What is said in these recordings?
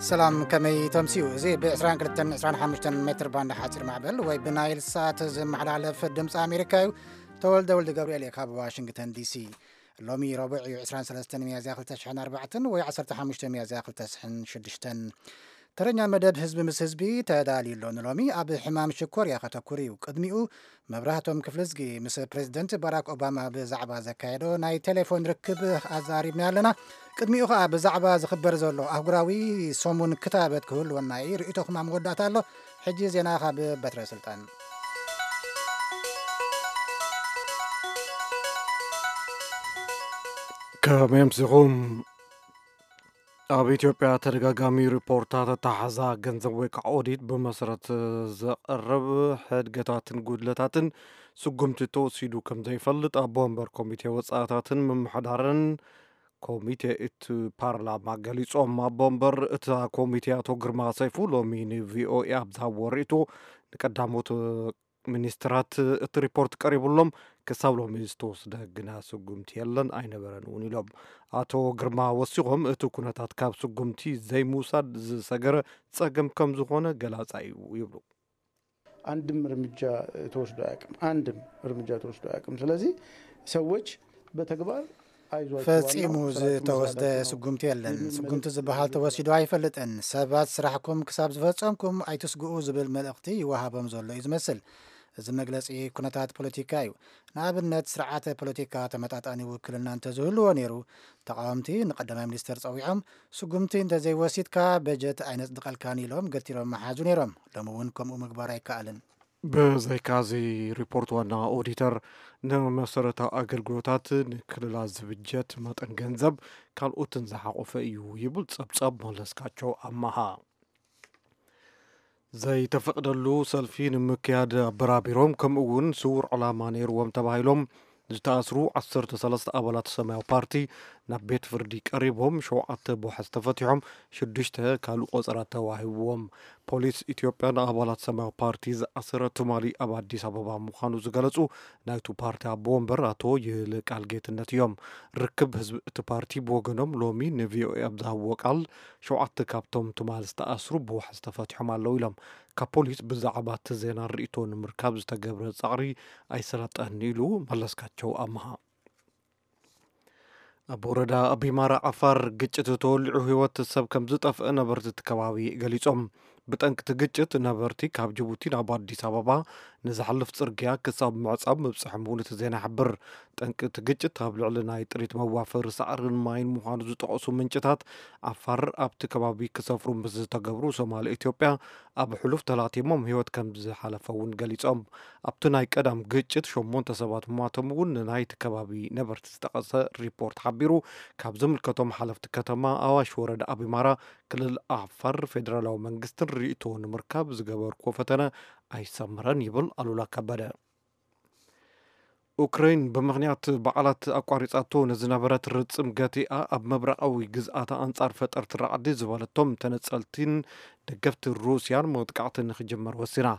ሰላም፣ ከመይ ተምስዩ? እዚ ብ22፣ 25 ሜትር ባንድ ሓፂር ማዕበል ወይ ብናይል ሳት ዝመሓላለፍ ድምፂ ኣሜሪካ እዩ። ተወልደ ወልደ ገብርኤል እየ ካብ ዋሽንግተን ዲሲ። ሎሚ ረቡዕ እዩ፣ 23 ሚያዝያ 2004 ወይ 15 ሚያዝያ 2006። ተረኛ መደብ ህዝቢ ምስ ህዝቢ ተዳልዩ ኣሎ። ንሎሚ ኣብ ሕማም ሽኮር እያ ከተኩር እዩ። ቅድሚኡ መብራህቶም ክፍልዝጊ ምስ ፕሬዚደንት ባራክ ኦባማ ብዛዕባ ዘካየዶ ናይ ቴሌፎን ርክብ ኣዛሪብና ኣለና። ቅድሚኡ ኸኣ ብዛዕባ ዝኽበር ዘሎ ኣህጉራዊ ሰሙን ክታበት ክህልወና እዩ። ርእይቶኹም ኣብ መወዳእታ ኣሎ። ሕጂ ዜና ካብ በትረ ስልጣን። ከመይ ኣምሲኹም? ኣብ ኢትዮጵያ ተደጋጋሚ ሪፖርታት ኣተሓሕዛ ገንዘብ ወይ ከዓ ኦዲት ብመሰረት ዘቕርብ ሕድገታትን ጉድለታትን ስጉምቲ ተወሲዱ ከም ዘይፈልጥ ኣቦ ወንበር ኮሚቴ ወፃእታትን ምምሕዳርን ኮሚቴ እቲ ፓርላማ ገሊፆም። ኣቦ ወንበር እታ ኮሚቴ ኣቶ ግርማ ሰይፉ ሎሚ ንቪኦኤ ኣብ ዝሃብዎ ርእይቶ፣ ንቀዳሞት ሚኒስትራት እቲ ሪፖርት ቀሪቡሎም፣ ክሳብ ሎሚ ዝተወስደ ግና ስጉምቲ የለን፣ ኣይነበረን እውን ኢሎም። ኣቶ ግርማ ወሲኾም፣ እቲ ኩነታት ካብ ስጉምቲ ዘይምውሳድ ዝሰገረ ጸገም ከም ዝኾነ ገላጻ እዩ ይብሉ። አንድም እርምጃ ተወስዶ አያውቅም። አንድም እርምጃ ተወስዶ አያውቅም። ስለዚህ ሰዎች በተግባር አይዟችሁ፣ ፈጺሙ ዋናው ስራችሁን ዝተወስደ መስራታችሁ ነው ስጉምቲ የለን። የሚል ስጉምቲ መልእክት ዝበሃል ተወሲዱ ኣይፈልጥን። ሰባት ስራሕኩም ክሳብ ዝፈጸምኩም ኣይትስግኡ ዝብል መልእኽቲ ይወሃቦም ዘሎ እዩ ዝመስል። እዚ መግለጺ ኩነታት ፖለቲካ እዩ። ንኣብነት ስርዓተ ፖለቲካ ተመጣጣኒ ውክልና እንተዝህልዎ ነይሩ፣ ተቓወምቲ ንቀዳማይ ሚኒስተር ጸዊዖም፣ ስጉምቲ እንተዘይወሲድካ በጀት ኣይነጽድቐልካን ኢሎም ገቲሮም መሓዙ ነይሮም። ሎሚ እውን ከምኡ ምግባር ኣይከኣልን። ብዘይካዚ ሪፖርት ዋና ኦዲተር ንመሰረታዊ ኣገልግሎታት ንክልላት ዝብጀት መጠን ገንዘብ ካልኦትን ዝሓቆፈ እዩ ይብል ጸብጻብ መለስካቸው ኣማሃ። ዘይተፈቅደሉ ሰልፊ ንምክያድ ኣበራቢሮም ከምኡ እውን ስውር ዕላማ ነይርዎም ተባሂሎም ዝተኣስሩ 13 ኣባላት ሰማያዊ ፓርቲ ናብ ቤት ፍርዲ ቀሪቦም ሸውዓተ ብዋሕስ ተፈቲሖም ሽዱሽተ ካልእ ቆጸራ ተዋሂብዎም። ፖሊስ ኢትዮጵያ ንኣባላት ሰማያዊ ፓርቲ ዝኣሰረ ትማሊ ኣብ ኣዲስ ኣበባ ምዃኑ ዝገለጹ ናይቱ ፓርቲ ኣቦ ወንበር ኣቶ ይልቃል ጌትነት እዮም። ርክብ ህዝቢ እቲ ፓርቲ ብወገኖም ሎሚ ንቪኦኤ ኣብ ዝሃብዎ ቃል ሸውዓተ ካብቶም ትማል ዝተኣስሩ ብዋሕስ ተፈቲሖም ኣለዉ ኢሎም። ካብ ፖሊስ ብዛዕባ እቲ ዜና ርእይቶ ንምርካብ ዝተገብረ ጻዕሪ ኣይሰላጠን ኢሉ መለስካቸው ኣምሃ። ኣብ ወረዳ ኣቢማራ ዓፋር ግጭት ተወሊዑ ህይወት ሰብ ከም ዝጠፍአ ነበርቲ እቲ ከባቢ ገሊጾም። ብጠንቅቲ ግጭት ነበርቲ ካብ ጅቡቲ ናብ ኣዲስ ኣበባ ንዝሓልፍ ጽርግያ ክሳብ ምዕጻብ ምብጽሖም እውን እቲ ዜና ይሕብር። ጠንቅቲ ግጭት ኣብ ልዕሊ ናይ ጥሪት መዋፈሪ ሳዕርን ማይን ምዃኑ ዝጠቐሱ ምንጭታት፣ ዓፋር ኣብቲ ከባቢ ክሰፍሩ ምስ ዝተገብሩ ሶማል ኢትዮጵያ ኣብ ሕሉፍ ተላቲሞም ህይወት ከም ዝሓለፈ እውን ገሊጾም። ኣብቲ ናይ ቀዳም ግጭት ሸሞንተ ሰባት ምሟቶም እውን ናይቲ ከባቢ ነበርቲ ዝጠቐሰ ሪፖርት ሓቢሩ። ካብ ዝምልከቶም ሓለፍቲ ከተማ ኣዋሽ ወረዳ ኣቢማራ ክልል ዓፋር ፌደራላዊ መንግስትን ርእይቶ ንምርካብ ዝገበርኩዎ ፈተነ ኣይሰምረን ይብል ኣሉላ ከበደ። ኡክረይን ብምኽንያት በዓላት ኣቋሪጻቶ ንዝነበረት ርጽም ገቲኣ ኣብ ምብራቓዊ ግዝኣታ ኣንጻር ፈጠርቲ ራዕዲ ዝበለቶም ተነጸልቲን ደገፍቲ ሩስያን መጥቃዕቲ ንክጅመር ወሲና።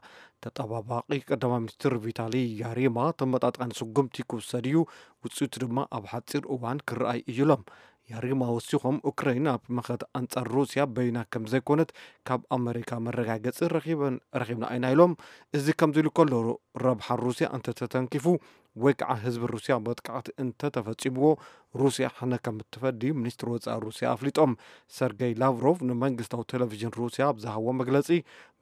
ተጠባባቂ ቀዳማይ ሚኒስትር ቪታሊ ያሪማ ተመጣጣኒ ስጉምቲ ክውሰድ እዩ፣ ውጽኢቱ ድማ ኣብ ሓጺር እዋን ክረኣይ እዩ ኢሎም። ያሪማ ወሲኾም ኡክረይን ኣብ መኸት ኣንጻር ሩስያ በይና ከም ዘይኮነት ካብ ኣመሪካ መረጋገጺ ረኺብና ኢና ኢሎም። እዚ ከምዚ ኢሉ ከሎ ረብሓ ሩስያ እንተተተንኪፉ ወይ ከዓ ህዝቢ ሩስያ መጥቃዕቲ እንተተፈጺምዎ ሩስያ ሕነ ከም እትፈዲ ሚኒስትሪ ወፃኢ ሩስያ ኣፍሊጦም። ሰርገይ ላቭሮቭ ንመንግስታዊ ቴሌቪዥን ሩስያ ኣብ ዝሃቦ መግለፂ፣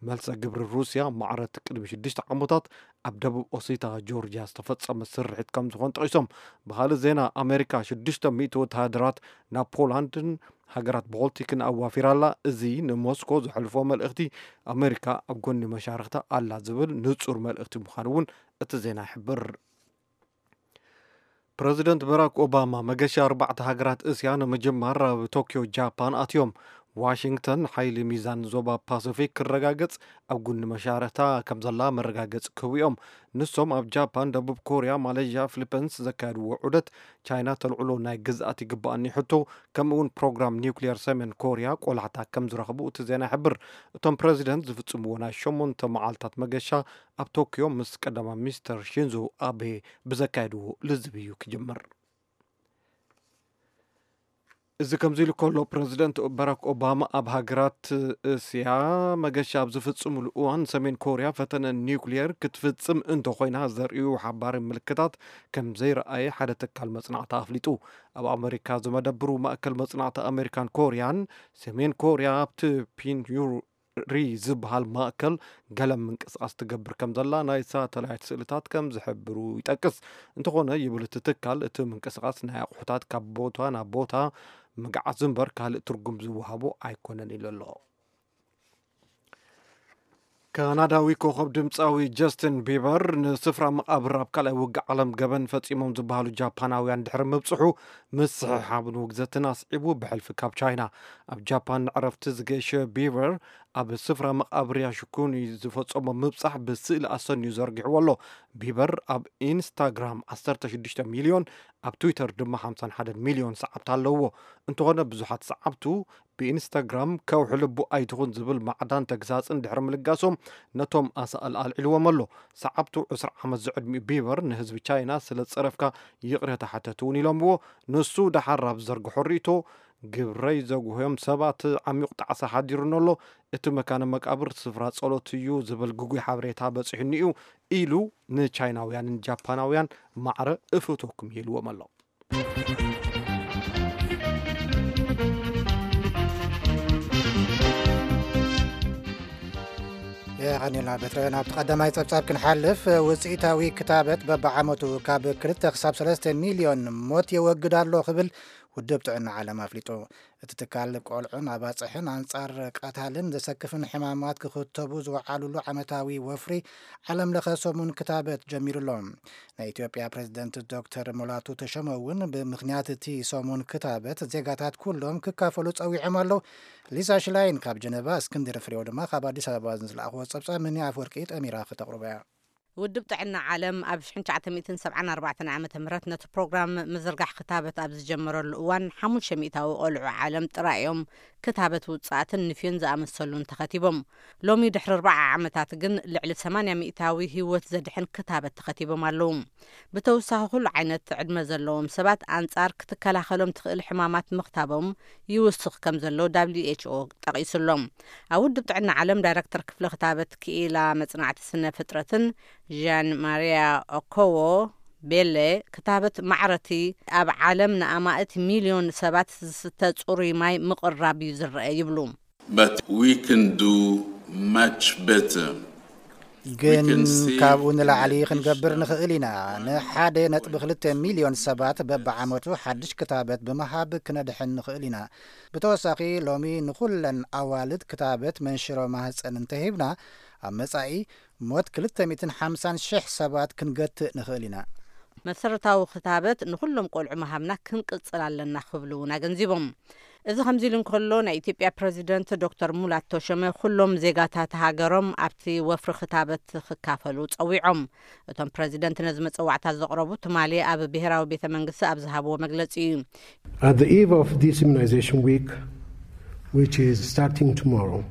መልሰ ግብሪ ሩስያ ማዕረት ቅድሚ ሽዱሽተ ዓመታት ኣብ ደቡብ ኦሲታ ጆርጂያ ዝተፈጸመ ስርሒት ከም ዝኾን ጠቒሶም። ብኻልእ ዜና ኣሜሪካ ሽዱሽተ ሚእቲ ወተሃደራት ናብ ፖላንድን ሃገራት ቦልቲክን ኣዋፊራ ኣላ። እዚ ንሞስኮ ዘሕልፎ መልእኽቲ ኣሜሪካ ኣብ ጎኒ መሻርኽታ ኣላ ዝብል ንጹር መልእኽቲ ምዃኑ እውን እቲ ዜና ይሕብር። ፕረዚደንት በራክ ኦባማ መገሻ ኣርባዕተ ሃገራት እስያ ንምጅማር ኣብ ቶክዮ ጃፓን ኣትዮም። ዋሽንግተን ሓይሊ ሚዛን ዞባ ፓሲፊክ ክረጋገጽ ኣብ ጉኒ መሻርኽታ ከም ዘላ መረጋገጺ ክህቡ እዮም። ንሶም ኣብ ጃፓን፣ ደቡብ ኮርያ፣ ማሌዥያ፣ ፊሊፒንስ ዘካየድዎ ዑደት ቻይና ተልዕሎ ናይ ግዝኣት ይግባኣኒ ሕቶ ከምኡ እውን ፕሮግራም ኒውክሊየር ሰሜን ኮርያ ቆላሕታ ከም ዝረኽቡ እቲ ዜና ይሕብር። እቶም ፕረዚደንት ዝፍጽምዎ ናይ ሸሞንተ መዓልታት መገሻ ኣብ ቶክዮ ምስ ቀዳማይ ሚኒስተር ሺንዞ ኣቤ ብዘካየድዎ ልዝብ እዩ ክጅምር። እዚ ከምዚ ኢሉ ከሎ፣ ፕረዚደንት ባራክ ኦባማ ኣብ ሃገራት እስያ መገሻ ኣብ ዝፍጽምሉ እዋን፣ ሰሜን ኮርያ ፈተነ ኒውክሊየር ክትፍጽም እንተኾይና ዘርእዩ ሓባሪ ምልክታት ከም ዘይረኣየ ሓደ ትካል መጽናዕቲ ኣፍሊጡ። ኣብ ኣመሪካ ዝመደብሩ ማእከል መጽናዕቲ ኣመሪካን ኮርያን፣ ሰሜን ኮርያ ኣብቲ ፒንዩሪ ዝበሃል ማእከል ገለ ምንቅስቓስ ትገብር ከም ዘላ ናይ ሳተላይት ስእልታት ከም ዝሕብሩ ይጠቅስ። እንተኾነ፣ ይብል እቲ ትካል፣ እቲ ምንቅስቓስ ናይ ኣቑሑታት ካብ ቦታ ናብ ቦታ ምግዓዝ እምበር ካልእ ትርጉም ዝወሃቦ ኣይኮነን ኢሉ ኣሎ። ካናዳዊ ኮኸብ ድምፃዊ ጀስትን ቢበር ንስፍራ መቓብር ኣብ ካልኣይ ውግእ ዓለም ገበን ፈፂሞም ዝበሃሉ ጃፓናውያን ድሕሪ ምብፅሑ፣ ምስሕሓብን ውግዘትን ኣስዒቡ ብሕልፊ ካብ ቻይና። ኣብ ጃፓን ንዕረፍቲ ዝገሸ ቢበር፣ ኣብ ስፍራ መቓብር ያሽኩኒ ዝፈጸሞ ምብጻሕ ብስእሊ ኣሰንዩ ዘርጊሕዎ ኣሎ። ቢበር ኣብ ኢንስታግራም ዓሰርተ ሽዱሽተ ሚልዮን፣ ኣብ ትዊተር ድማ ሓምሳን ሓደን ሚልዮን ሰዓብቲ ኣለዎ። እንተኾነ፣ ብዙሓት ሰዓብቱ ብኢንስታግራም ከውሒ ልቡ ኣይትኹን ዝብል ማዕዳን ተግሳጽን ድሕሪ ምልጋሶም፣ ነቶም ኣሳእል ኣልዒልዎም ኣሎ። ሰዓብቱ ዕስራ ዓመት ዝዕድሚኡ ቢበር፣ ንህዝቢ ቻይና ስለ ዝጸረፍካ ይቕሬታ ሓተት እውን ኢሎምዎ። ንሱ ደሓር ኣብ ዝዘርግሖ ርእይቶ፣ ግብረይ ዘጉህዮም ሰባት ዓሚቕ ጣዕሳ ሓዲሩኒ ኣሎ። እቲ መካነ መቃብር ስፍራ ጸሎት እዩ ዝብል ግጉይ ሓበሬታ በጺሑኒ እዩ፣ ኢሉ ንቻይናውያንን ጃፓናውያን ማዕረ እፈትወኩም ኢልዎም ኣሎ። የቐኒልና በትረ። ናብቲ ቀዳማይ ጸብጻብ ክንሓልፍ፣ ውጽኢታዊ ክታበት በብዓመቱ ካብ ክልተ ክሳብ ሰለስተ ሚልዮን ሞት የወግድ ኣሎ ክብል ውድብ ጥዕና ዓለም ኣፍሊጡ። እቲ ትካል ቆልዑን ኣባጽሕን ኣንጻር ቀታልን ዘሰክፍን ሕማማት ክኽተቡ ዝወዓሉሉ ዓመታዊ ወፍሪ ዓለም ለኸ ሰሙን ክታበት ጀሚሩ ኣሎ። ናይ ኢትዮጵያ ፕሬዝደንት ዶክተር ሙላቱ ተሾመ እውን ብምኽንያት እቲ ሰሙን ክታበት ዜጋታት ኩሎም ክካፈሉ ጸዊዖም ኣለዉ። ሊሳ ሽላይን ካብ ጀነቫ፣ እስክንድር ፍሬው ድማ ካብ ኣዲስ ኣበባ ዝለኣኽዎ ጸብጻብ ምኒ ኣፍወርቂ ጠሚራ ክተቕርቦ እያ። ውድብ ጥዕና ዓለም ኣብ ሽሕን ትሽዓተ ሚእትን ሰብዓን ኣርባዕተን ዓመተ ምህረት ነቲ ፕሮግራም ምዝርጋሕ ክታበት ኣብ ዝጀመረሉ እዋን፣ ሓሙሽተ ሚእታዊ ቆልዑ ዓለም ጥራይ እዮም ክታበት ውጽኣትን ንፍዮን ዝኣመሰሉን ተኸቲቦም። ሎሚ ድሕሪ ኣርብዓ ዓመታት ግን ልዕሊ ሰማንያ ሚእታዊ ህይወት ዘድሕን ክታበት ተኸቲቦም ኣለዉ። ብተወሳኺ፣ ኩሉ ዓይነት ዕድመ ዘለዎም ሰባት ኣንጻር ክትከላኸሎም ትኽእል ሕማማት ምኽታቦም ይውስኽ ከም ዘሎ ደብሊው ኤች ኦ ጠቒሱ ኣሎ። ኣብ ውድብ ጥዕና ዓለም ዳይረክተር ክፍሊ ክታበት ክኢላ መጽናዕቲ ስነ ፍጥረትን ዣን ማርያ ኦኮዎ ቤለ፣ ክታበት ማዕረቲ ኣብ ዓለም ንኣማእት ሚልዮን ሰባት ዝስተ ጽሩይ ማይ ምቕራብ እዩ ዝረአ ይብሉ። But we can do much better. We ግን can save ካብኡ ንላዕሊ millions ክንገብር of ንኽእል ኢና። ንሓደ ነጥቢ ክልተ ሚልዮን ሰባት በብዓመቱ ሓድሽ ክታበት ብምሃብ ክነድሕን ንኽእል ኢና። ብተወሳኺ፣ ሎሚ ንኹለን ኣዋልድ ክታበት መንሽሮ ማህፀን እንተሂብና፣ ኣብ መጻኢ ሞት ክልተ ሚእትን ሓምሳን ሽሕ ሰባት ክንገትእ ንኽእል ኢና። መሰረታዊ ክታበት ንኹሎም ቆልዑ ምሃብና ክንቅጽል ኣለና ክብሉ እውን ኣገንዚቦም። እዚ ከምዚ ኢሉ እንከሎ፣ ናይ ኢትዮጵያ ፕረዚደንት ዶክተር ሙላት ተሾመ፣ ኩሎም ዜጋታት ሃገሮም ኣብቲ ወፍሪ ክታበት ክካፈሉ ጸዊዖም። እቶም ፕረዚደንት ነዚ መጸዋዕታ ዘቕረቡ ትማሊ ኣብ ብሔራዊ ቤተ መንግስቲ ኣብ ዝሃብዎ መግለጺ እዩ። At the eve of this immunization week, which is starting tomorrow,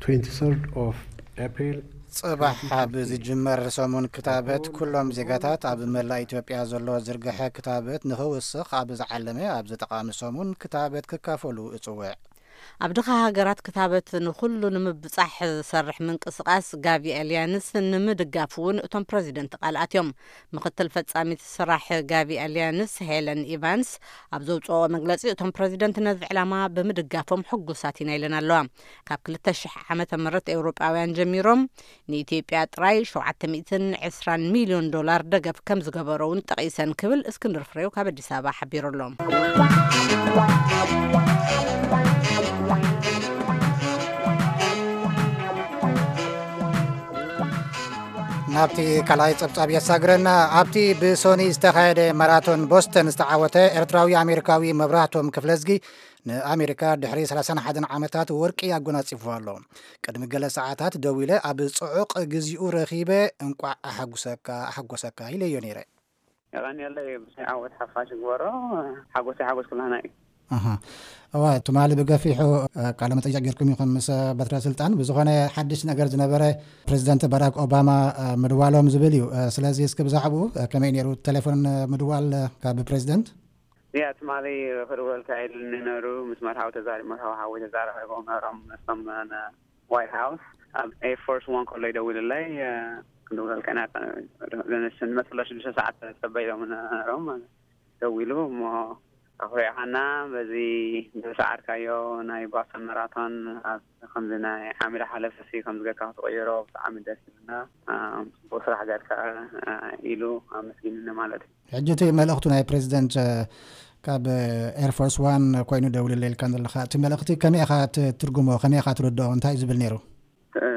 twenty-third of April, ጽባሕ ኣብ ዝጅመር ሰሙን ክታበት፣ ኩሎም ዜጋታት ኣብ መላእ ኢትዮጵያ ዘሎ ዝርግሐ ክታበት ንኽውስኽ ኣብ ዝዓለመ ኣብዚ ጠቓሚ ሰሙን ክታበት ክካፈሉ እጽውዕ። ኣብ ድኻ ሃገራት ክታበት ንኹሉ ንምብጻሕ ዝሰርሕ ምንቅስቓስ ጋቪ ኣልያንስ ንምድጋፍ እውን እቶም ፕረዚደንት ቃል ኣትዮም። ምኽትል ፈጻሚት ስራሕ ጋቪ ኣልያንስ ሄለን ኢቫንስ ኣብ ዘውፅኦ መግለፂ፣ እቶም ፕረዚደንት ነዚ ዕላማ ብምድጋፎም ሕጉሳት ኢና ኢለን ኣለዋ። ካብ ክልተ ሽሕ ዓመተ ምህረት ኤውሮጳውያን ጀሚሮም ንኢትዮጵያ ጥራይ ሸውዓተ ሚእትን ዕስራን ሚልዮን ዶላር ደገፍ ከም ዝገበሮ እውን ጠቒሰን ክብል እስክንድር ፍሬው ካብ ኣዲስ ኣበባ ሓቢሩ ኣሎ። ናብቲ ካልኣይ ጸብጻብ የሳግረና። ኣብቲ ብሶኒ ዝተኻየደ ማራቶን ቦስተን ዝተዓወተ ኤርትራዊ ኣሜሪካዊ መብራህቶም ክፍለዝጊ ንኣሜሪካ ድሕሪ ሰላሳን ሓደን ዓመታት ወርቂ ኣጎናጺፉ ኣሎ። ቅድሚ ገለ ሰዓታት ደዊለ ኣብ ጽዑቕ ግዚኡ ረኺበ፣ "እንቋዕ ኣሓጉሰካ፣ ኣሓጎሰካ" ኢለዮ ነይረ። የቐንየለይ፣ ብስኒ ዓወት ሓፋሽ ግበሮ። ሓጎሰይ ሓጎስ ኩላህና እዩ። ኣሃ። እዋ፣ ትማሊ ብገፊሑ፣ እ፣ ቃለ መጠይቕ ጌርኩም ኢኹም ምስ፣ እ፣ በትረ ስልጣን። ብዝኾነ ሓድሽ ነገር ዝነበረ ፕሬዚደንት ባራክ ኦባማ፣ እ፣ ምድዋሎም ዝብል እዩ። እ፣ ስለዚ እስኪ ብዛዕባኡ፣ እ፣ ከመይ ነይሩ ቴሌፎን፣ እ፣ ምድዋል፣ እ፣ ካብ ፕሬዚደንት? ያ ትማሊ ክድውለልካ ኢሉኒ ነሩ፣ ምስ መርሃዊ ተዛሪ-፣ መርሃዊ ሓወይ ተዛራሪቦም ነሮም፣ ምስቶም ን-፣ ዋይት ሃውስ ኣብ ኤር ፎርስ ዋን ከሎ ይደውልለይ፣ እ፣ ክንድውለልካ ኢና፣ ንመፅሎ ሽዱሽተ ሰዓት ተፀበ ኢሎም ነሮም። ደዊሉ እሞ ኣኹሪዕኻና፣ በዚ ዝሰዓርካዮ ናይ ቦስተን ማራቶን ኣብ ከምዚ ናይ ዓሚዳ ሓለፈሲ ከም ዝገርካ ክትቕይሮ ብጣዕሚ ደስ ይብልና፣ እ፣ ፅቡቅ ስራሕ ገርካ፣ እ፣ ኢሉ ኣመስጊንኒ ማለት እዩ። ሕጂ እቲ መልእኽቱ ናይ ፕሬዚደንት፣ እ፣ ካብ ኤር ፎርስ ዋን ኮይኑ ደውልለይ ኢልካ ዘለኻ፣ እቲ መልእኽቲ ከመይ ኢኻ ትትርጉሞ? ከመይ ኢኻ ትርድኦ? እንታይ እዩ ዝብል ነይሩ? እ፣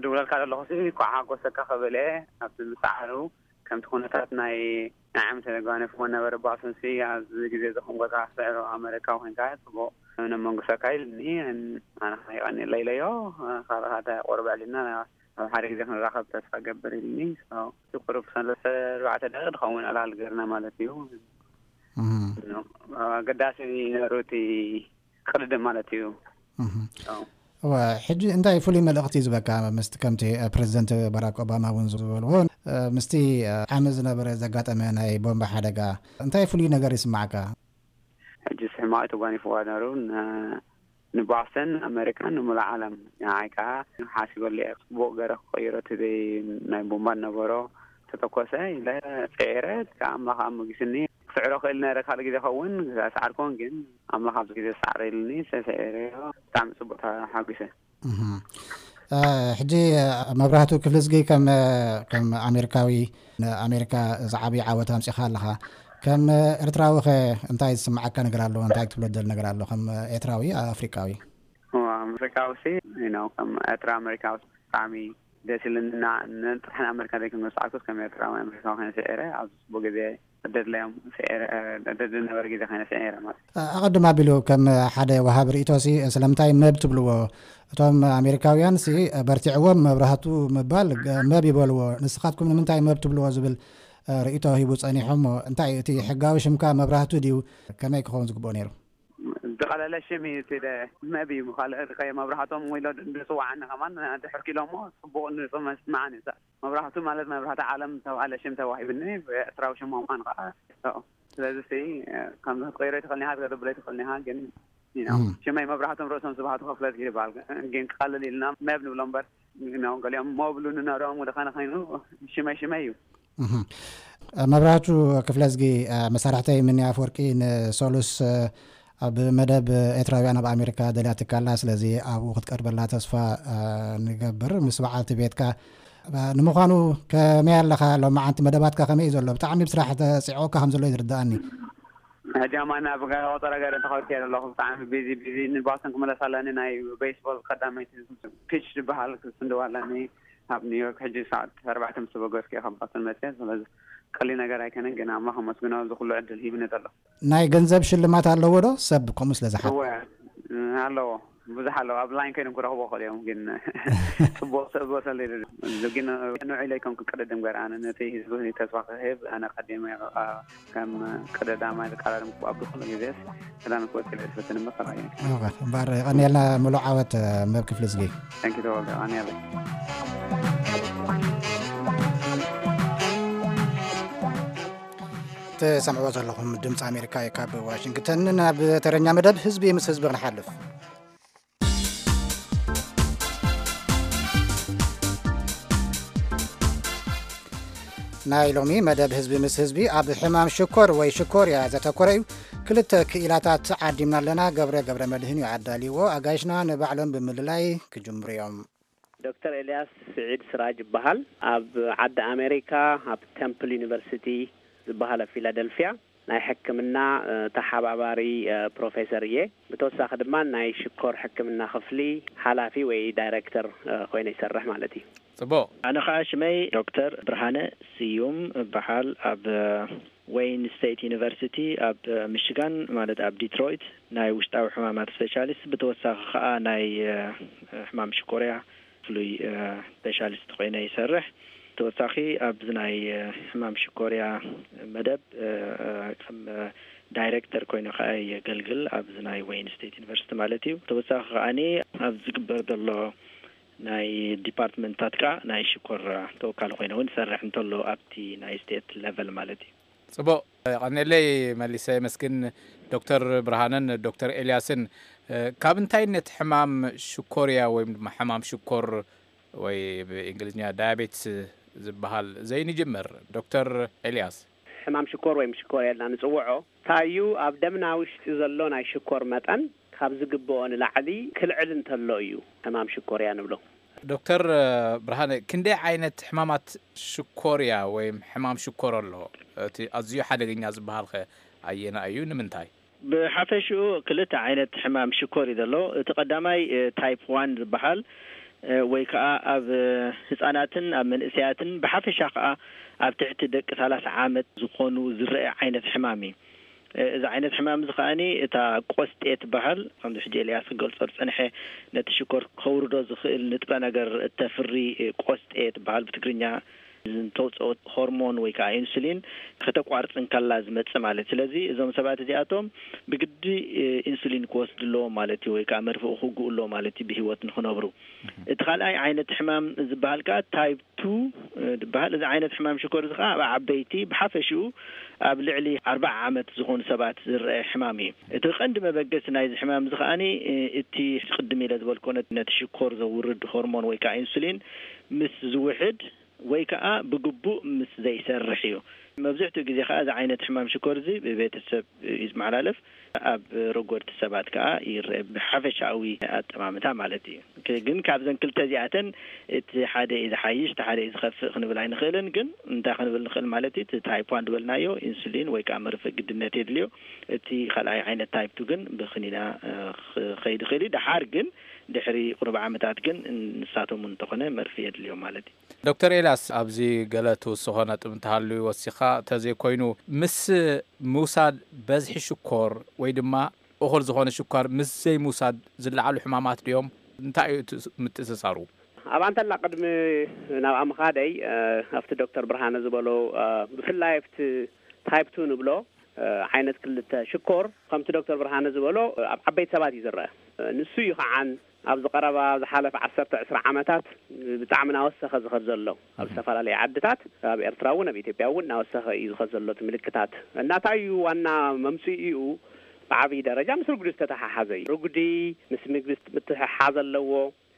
ድውለልካ ዘለኹ ሲ፣ እንኳዕ ሓጎሰካ ክብል እየ። ኣብቲ ምሰዓሩ ከምቲ ኩነታት ናይ፣ ናይ ዓመተ ተጓኒፍዎ ነበረ ባሱን ሲ፣ ኣብዚ ግዜ እዚ ከም ጎታ ስዕሮ ኣመሪካ ኮንካ ጽቡቕ ነመንግሰካ ኢልኒ። ኣነ ከኣ ይቐንየለይ ኢለዮ። ካልእ ሓደ ቁሩብ ኣዕሊልና ኣብ ሓደ ግዜ ክንራኸብ ተስፋ ገብር ኢልኒ። So፣ እቲ ቁሩብ ሰለስተ ኣርባዕተ ደቂቕ ድኸውን ዕላል ገርና ማለት እዩ። እም። ኣገዳሲ ነሩ እቲ ቅድድም ማለት እዩ። እም። So፣ እወ፣ ሕጂ እንታይ ፍሉይ መልእኽቲ ዝበካ ምስቲ ከምቲ፣ እ፣ ፕሬዚደንት ባራክ ኦባማ እውን ዝበልዎ፣ እ፣ ምስቲ፣ እ፣ ዓሚ ዝነበረ ዘጋጠመ ናይ ቦምባ ሓደጋ እንታይ ፍሉይ ነገር ይስማዓካ? ሕጂ ሕማቕ ተጓኒፍዋ ነሩ ን-፣ ንባስተን ኣመሪካን ንሙሉእ ዓለም። ንዓይ ከኣ ሓሲበሉ እየ፣ ጽቡቕ ገረ ክቐይሮ እቲ ናይ ቦምባ ነበሮ ተተኮሰ ኢለ ጽዒረ፣ ከኣ ኣምላኽ ኣሞጊስኒ። ክስዕሮ ክእል ነረ ካልእ ግዜ ኸውን ሰዓርኮን፣ ግን ኣምላኽ ኣብዚ ግዜ ሰዓረ ኢልኒ፣ ሰሰዒረዮ። ብጣዕሚ ጽቡቕ ተሓጒሰ። እህ። እ፣ ሕጂ፣ እ፣ መብራህቱ ክፍልዝጊ ከም፣ እ፣ ከም ኣሜሪካዊ ንኣሜሪካ ዝዓቢ ዓወት ኣምጺኻ ኣለኻ። ከም ኤርትራዊ ኸ እንታይ ዝስምዓካ ነገር ኣሎ? እንታይ ክትብሎ ትደሊ ነገር ኣሎ? ከም ኤርትራዊ ኣፍሪቃዊ? እዋ፣ ኣፍሪቃዊ ሲ፣ you know፣ ከም ኤርትራ ኣሜሪካዊ ብጣዕሚ ደስ ኢሉኒ። እና ንጥራሕ ንኣሜሪካ ዘይኮንኩ ዝሰዓርኩስ ከም ኤርትራዊ ኣሜሪካዊ ኮይነ ስዒረ ኣብዚ ጽቡቅ ግዜ ደድለዮም ስዒረ፣ ደድሊ ነበረ ግዜ ኮይነ ስዒረ ማለት እዩ። ኣቐድም ኣቢሉ ከም ሓደ ወሃቢ ርእይቶ ሲ ስለምንታይ መብ ትብልዎ? እቶም ኣሜሪካውያን ሲ በርቲዕዎም መብራህቱ ምባል ገ-፣ መብ ይበልዎ። ንስኻትኩም ንምንታይ መብ ትብልዎ ዝብል፣ እ፣ ርእይቶ ሂቡ ጸኒሑ እሞ እንታይ እቲ ሕጋዊ ሽምካ መብራህቱ ድዩ? ከመይ ክኸውን ዝግብኦ ነይሩ? ዝቐለለ ሽም እዩ እቲ ደ-፣ መብ እዩ። ካልእ ርቀየ መብራህቶም ወይ ሎ ንጽዋዓኒ ከማን ድሕር ኪሎ እሞ ጽቡቕ ንጽመ ስምዓኒ እዩ። መብራህቱ ማለት መብራህቲ ዓለም ዝተባህለ ሽም ተዋሂብኒ፣ ብኤርትራዊ ሽም ምዃኑ ከዓ። ስለዚ ሲ፣ ከም ክትቀይሮ ይትኽእል ኒሃ፣ ክትገብሮ ይትኽእል ኒሃ፣ ግን፣ you know፣ እም። ሽመይ መብራህቶም ርእሶም ስብሃቱ ክፍለት ይባል። ግን ክቐልል ኢልና መብ ንብሎ እምበር፣ you know፣ ገሊኦም መብሉ ንነሮም ወደ ኸነ ኸይኑ ሽመይ ሽመይ እዩ። እህ። መብራህቱ ክፍለዝጊ፣ መሳርሕተይ ምንያ ኣፈወርቂ ንሰሉስ ኣብ መደብ ኤርትራውያን ኣብ ኣሜሪካ ደልያትካ ኣላ። ስለዚ ኣብኡ ክትቀርበላ ተስፋ፣ እ፣ ንገብር። ምስ በዓልቲ ቤትካ፣ እ፣ ንምዃኑ ከመይ ኣለኻ? ሎማዓንቲ መደባትካ ከመይ እዩ ዘሎ? ብጣዕሚ ብስራሕ ተጽዕወካ ከም ዘሎ እዩ ዝርድኣኒ። ሕጂ ኣማና ኣብ ገ-፣ ቆጸራ ገረ ተኸልኪ ኣለኹ። ብጣዕሚ ቢዚ፣ ቢዚ። ንባስን ክመለስ ኣለኒ። ናይ ቤስቦል ቀዳመይቲ ፒች ዝበሃል ክስንድዋ ኣለኒ። ኣብ ኒውዮርክ ሕጂ ሰዓት ኣርባዕተ ምስ ተበገስኩ እየ ካብ ባስን መጽየ። ስለዚ ቀሊል ነገር ኣይከነን፣ ግን ኣምላኽ ኣመስግኖ፣ እዚ ኩሉ ዕድል ሂብኒ ዘሎ። ናይ ገንዘብ ሽልማት ኣለዎ ዶ? ሰብ ከምኡ ስለ ዝሓት። እወ፣ ኣለዎ። ብዙሕ ኣለዎ። ኣብ ላይን ከይዶም ክረኽቦ ይኽእሉ እዮም፣ ግን ጽቡቕ ሰብ ዝወሰለ የለን። ግን ንውዒለይ ከም ክቅድድም ገር ኣነ ነቲ ህዝቢ ተስፋ ክህብ ኣነ ቀዲመ ከም ቀደዳማይ ዝቃላለም ኣብ ዝኾነ ግዜስ ቀዳሚ ክወጽእ ኢለ ዝፈትን እምበር ካልኣይ ኣይኮነን። እወ፣ እምበር የቐንየልና ምሉእ ዓወት፣ መብ ክፍሊ ዝጊ። Thank you ተወልደ፣ የቐንየለይ። ትሰምዕዎ ዘለኹም ድምፂ ኣሜሪካ እዩ ካብ ዋሽንግተን። ናብ ተረኛ መደብ ህዝቢ ምስ ህዝቢ ክንሓልፍ። ናይ ሎሚ መደብ ህዝቢ ምስ ህዝቢ ኣብ ሕማም ሽኮር ወይ ሽኮርያ ዘተኮረ እዩ። ክልተ ክኢላታት ዓዲምና ኣለና። ገብረ ገብረ መድህን እዩ ኣዳልይዎ። ኣጋይሽና ንባዕሎም ብምልላይ ክጅምሩ እዮም። ዶክተር ኤልያስ ስዒድ ስራጅ ይበሃል። ኣብ ዓዲ ኣሜሪካ ኣብ ቴምፕል ዩኒቨርሲቲ ዝበሃል ኣብ ፊላደልፊያ ናይ ሕክምና፣ እ፣ ተሓባባሪ፣ እ፣ ፕሮፌሰር እየ። ብተወሳኺ ድማ ናይ ሽኮር ሕክምና ክፍሊ ሓላፊ ወይ ዳይሬክተር፣ እ፣ ኮይነ ይሰርሕ ማለት እዩ። ጽቡቕ። ኣነ ኸኣ ሽመይ ዶክተር ብርሃነ ስዩም እበሃል። ኣብ ዌይን ስቴት ዩኒቨርሲቲ ኣብ ሚሽጋን፣ ማለት ኣብ ዲትሮይት፣ ናይ ውሽጣዊ ሕማማት ስፔሻሊስት፣ ብተወሳኺ ኸኣ ናይ፣ እ፣ ሕማም ሽኮርያ ፍሉይ፣ እ፣ ስፔሻሊስት ኮይነ ይሰርሕ። ተወሳኺ ኣብዚ ናይ፣ እ፣ ሕማም ሽኮርያ መደብ፣ እ፣ እ፣ ከም፣ እ፣ ዳይሬክተር ኮይነ ኸኣ የገልግል ኣብዚ ናይ ዌይን ስቴት ዩኒቨርሲቲ ማለት እዩ። ተወሳኺ ኸኣኒ ኣብ ዝግበር ዘሎ ናይ ዲፓርትመንትታት ከኣ ናይ ሽኮር ተወካሊ ኮይነ እውን ይሰርሕ እንተሎ ኣብቲ ናይ ስቴት ሌቨል ማለት እዩ። ጽቡቕ። ቀኔለይ መሊሰ የመስግን። ዶክተር ብርሃነን ዶክተር ኤልያስን፣ ካብ እንታይነት ሕማም ሽኮርያ ወይም ድማ ሕማም ሽኮር ወይ ብእንግሊዝኛ ዳያቤትስ ዝበሃል ዘይንጅምር? ዶክተር ኤልያስ። ሕማም ሽኮር ወይም ሽኮር ኢልና ንጽውዖ፣ ታዩ ኣብ ደምና ውሽጢ ዘሎ ናይ ሽኮር መጠን ካብ ዝግብኦ ንላዕሊ ክልዕል እንተሎ እዩ ሕማም ሽኮርያ ንብሎ። ዶክተር ብርሃነ፣ ክንደይ ዓይነት ሕማማት ሽኮርያ ወይም ሕማም ሽኮር ኣሎ? እቲ ኣዝዩ ሓደገኛ ዝበሃል ከ ኣየና እዩ? ንምንታይ? ብሓፈሽኡ ክልተ ዓይነት ሕማም ሽኮር እዩ ዘሎ። እቲ ቀዳማይ ታይፕ ዋን ዝበሃል፣ ወይ ከዓ ኣብ ህፃናትን ኣብ መንእሰያትን ብሓፈሻ ከዓ ኣብ ትሕቲ ደቂ ሰላሳ ዓመት ዝኾኑ ዝረአ ዓይነት ሕማም እዩ። እዚ ዓይነት ሕማም እዚ ከዓኒ እታ ቆስጤ ትበሃል፣ ከምዚ ሕጂ ኤልያስ ክገልጾ ዝጸንሐ፣ ነቲ ሽኮር ከውርዶ ዝኽእል ንጥረ ነገር እተፍሪ ቆስጤ ትበሃል፣ ብትግርኛ እንተውፅኦ ሆርሞን ወይ ከዓ ኢንሱሊን ከተቋርፅ እንከላ ዝመፅእ ማለት። ስለዚ እዞም ሰባት እዚኣቶም ብግዲ ኢንሱሊን ክወስዱ ኣለዎም ማለት እዩ፣ ወይ ከዓ መርፍእ ክውግኡ ኣለዎም ማለት እዩ ብህይወት ንክነብሩ። እቲ ካልኣይ ዓይነት ሕማም ዝበሃል ከዓ ታይፕ ቱ ዝበሃል። እዚ ዓይነት ሕማም ሽኮር እዚ ከዓ ኣብ ዓበይቲ፣ ብሓፈሽኡ ኣብ ልዕሊ ኣርባዓ ዓመት ዝኾኑ ሰባት ዝረአ ሕማም እዩ። እቲ ቀንዲ መበገሲ ናይዚ ሕማም እዚ ከዓኒ እቲ ቅድም ኢለ ዝበልኮ ነቲ ሽኮር ዘውርድ ሆርሞን ወይ ከዓ ኢንሱሊን ምስ ዝውሕድ ወይ ከዓ ብግቡእ ምስ ዘይሰርሕ እዩ። መብዝሕትኡ ግዜ ከዓ እዚ ዓይነት ሕማም ሽኮር እዚ ብቤተሰብ እዩ ዝመሓላለፍ፣ ኣብ ረጎድቲ ሰባት ከዓ ይረአ፣ ብሓፈሻዊ ኣጠማምታ ማለት እዩ። ክ- ግን ካብዘን ክልተ እዚኣተን እቲ ሓደ እዩ ዝሓይሽ፣ እቲ ሓደ እዩ ዝኸፍእ ክንብል ኣይንኽእልን። ግን እንታይ ክንብል ንኽእል ማለት እዩ? እቲ ታይፕ ዋን ዝበልናዮ ኢንሱሊን ወይ ከዓ መርፍእ ግድነት የድልዮ። እቲ ካልኣይ ዓይነት ታይፕ ቱ ግን ብክኒና ክኸይድ ይኽእል እዩ። ደሓር ግን ድሕሪ ቁሩብ ዓመታት ግን ንሳቶም እውን እንተኾነ መርፍእ የድልዮም ማለት እዩ። ዶክተር ኤልያስ፣ ኣብዚ ገለ ትውስኾ ነጥብ እንተሃልዩ ወሲኻ፣ ተዘይኮይኑ ምስ ምውሳድ በዝሒ ሽኮር ወይ ድማ እኹል ዝኾነ ሽኮር ምስ ዘይምውሳድ ዝለዓሉ ሕማማት ድዮም? እንታይ እዩ እቲ ምትእስሳሩ? ኣብ ኣንተላ ቅድሚ ናብኣ ምኻደይ፣ ኣብቲ ዶክተር ብርሃነ ዝበሎ፣ ብፍላይ ኣብቲ ታይፕ ቱ ንብሎ ዓይነት ክልተ ሽኮር፣ ከምቲ ዶክተር ብርሃነ ዝበሎ ኣብ ዓበይቲ ሰባት እዩ ዝረአ። ንሱ እዩ ከዓን ኣብዚ ቀረባ ዝሓለፈ ዓሰርተ ዕስራ ዓመታት ብጣዕሚ እናወሰኸ ዝኸድ ዘሎ። ኣብ ዝተፈላለዩ ዓድታት፣ ኣብ ኤርትራ እውን ኣብ ኢትዮጵያ እውን እናወሰኸ እዩ ዝኸድ ዘሎ እቲ ምልክታት። እና እንታይ እዩ ዋና መምፅኢኡ? ብዓብዪ ደረጃ ምስ ርጉዲ ዝተተሓሓዘ እዩ። ርጉዲ ምስ ምግቢ ምትሕሓዝ ኣለዎ።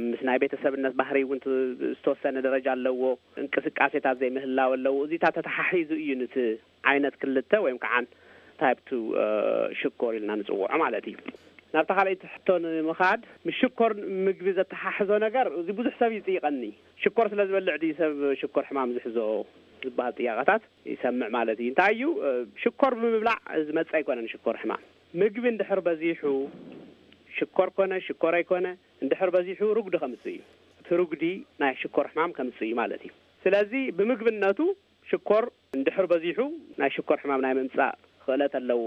ምስ ናይ ቤተሰብነት ባህሪ እውን ት- ዝተወሰነ ደረጃ ኣለዎ። እንቅስቃሴታት ዘይምህላው ኣለዎ። እዚታት ተተሓሒዙ እዩ ነቲ ዓይነት ክልተ ወይም ከዓ ታይፕ ቱ ሽኮር ኢልና ንፅውዖ ማለት እዩ። ናብታ ካልኣይቲ ሕቶ ንምኻድ፣ ምስ ሽኮር ምግቢ ዘተሓሕዞ ነገር እዚ ብዙሕ ሰብ ይፅይቐኒ። ሽኮር ስለ ዝበልዕ ድዩ ሰብ ሽኮር ሕማም ዝሕዞ ዝበሃል ጥያቐታት ይሰምዕ ማለት እዩ። እንታይ እዩ ሽኮር ብምብላዕ ዝመፅእ ኣይኮነን። ሽኮር ሕማም ምግቢ እንድሕር በዚሑ ሽኮር ኮነ ሽኮር ኣይኮነ እንድሕር በዚሑ ርጉዲ ከምፅእ እዩ። እቲ ርጉዲ ናይ ሽኮር ሕማም ከምፅእ እዩ ማለት እዩ። ስለዚ ብምግብነቱ ሽኮር እንድሕር በዚሑ ናይ ሽኮር ሕማም ናይ ምምፃእ ክእለት ኣለዎ።